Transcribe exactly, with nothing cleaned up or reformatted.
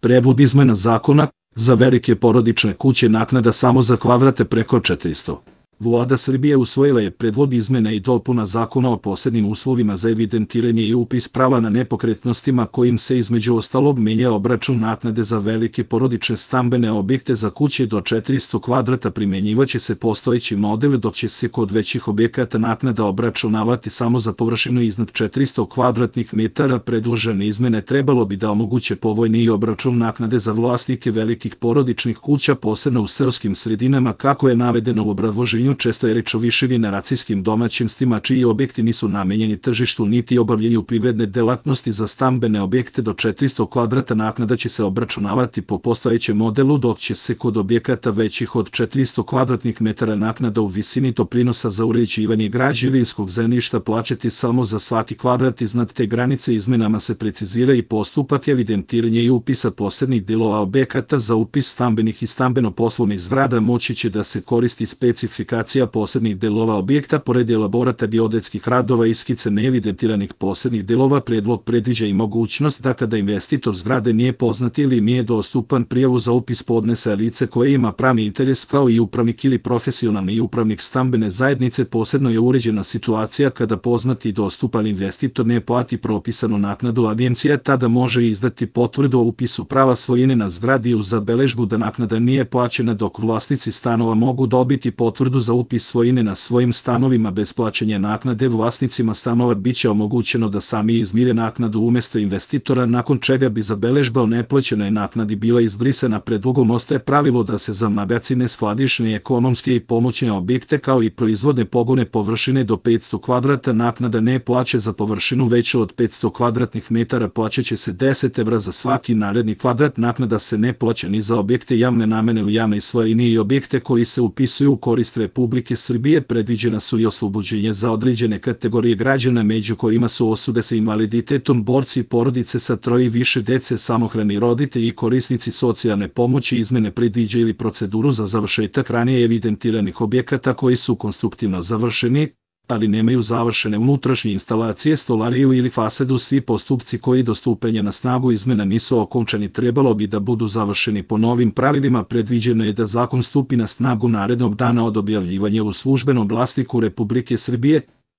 Predlog izmena zakona za velike porodične kuće naknada samo za kvadrate preko četiristo. Vlada Srbije usvojila je predlog izmena i dopuna Zakona o posebnim uslovima za evidentiranje i upis prava na nepokretnostima kojim se između ostalog menja obračun naknade za velike porodične stambene objekte za kuće do četiristo kvadrata. Primenjivaće se postojeći model, dok će se kod većih objekata naknada obračunavati samo za površinu iznad četiristo kvadratnih metara. Predložene izmene trebalo bi da omoguće povoljniji obračun naknade za vlasnike velikih porodičnih kuća, posebno u seoskim sredinama, kako je navedeno u obrazloženju. Često je reč o višegeneracijskim domaćinstvima čiji objekti nisu namenjeni tržištu niti obavljaju privredne delatnosti. Za stambene objekte do četiristo kvadrata naknada će se obračunavati po postojećem modelu, dok će se kod objekata većih od četiristo kvadratnih metara naknada u visini doprinosa za uređivanje građevinskog zemljišta plaćati samo za svaki kvadrat iznad te granice. Izmenama se precizira i postupak evidentiranja i upisa posebnih delova objekata. Za upis stambenih i stambeno-poslovnih zgrada moći će da se koristi specifikacija posebnih delova objekta, pored elaborata geodetskih radova i skice neevidentiranih posebnih delova. Predlog predviđa i mogućnost da kada investitor zgrade nije poznat ili nije dostupan, prijavu za upis podnese lice koje ima pravni interes, kao i upravnik ili profesionalni upravnik stambene zajednice. Posebno je uređena situacija kada poznati i dostupan investitor ne plati propisanu naknadu. Agencija tada može izdati potvrdu o upisu prava svojine na zgradi uz zabeležbu da naknada nije plaćena, dok vlasnici stanova mogu dobiti potvrdu za upis svojine na svojim stanovima bez plaćanja naknade. Vlasnicima stanova biće omogućeno da sami izmire naknadu umesto investitora, nakon čega bi zabeležba o neplaćenoj naknadi bila izbrisana. Predlogom ostaje pravilo da se za magacine, skladišne, ekonomske i pomoćne objekte, kao i proizvodne pogone površine do petsto kvadrata naknada ne plaća. Za površinu veću od petsto kvadratnih metara plaćaće se deset evra za svaki naredni kvadrat. Naknada se ne plaća ni za objekte javne namene u javnoj svojini i objekte koji se upisuju u korist Republike Srbije. Predviđena su i oslobođenje za određene kategorije građana, među kojima su osobe sa invaliditetom, borci, porodice sa troje i više dece, samohrani roditelji i korisnici socijalne pomoći. Izmene predviđaju ili proceduru za završetak ranije evidentiranih objekata koji su konstruktivno završeni, ali nemaju završene unutrašnje instalacije, stolariju ili fasadu. Svi postupci koji do stupanja na snagu izmena nisu okončani trebalo bi da budu završeni po novim pravilima. Predviđeno je da zakon stupi na snagu narednog dana od objavljivanja u Službenom glasniku Republike Srbije.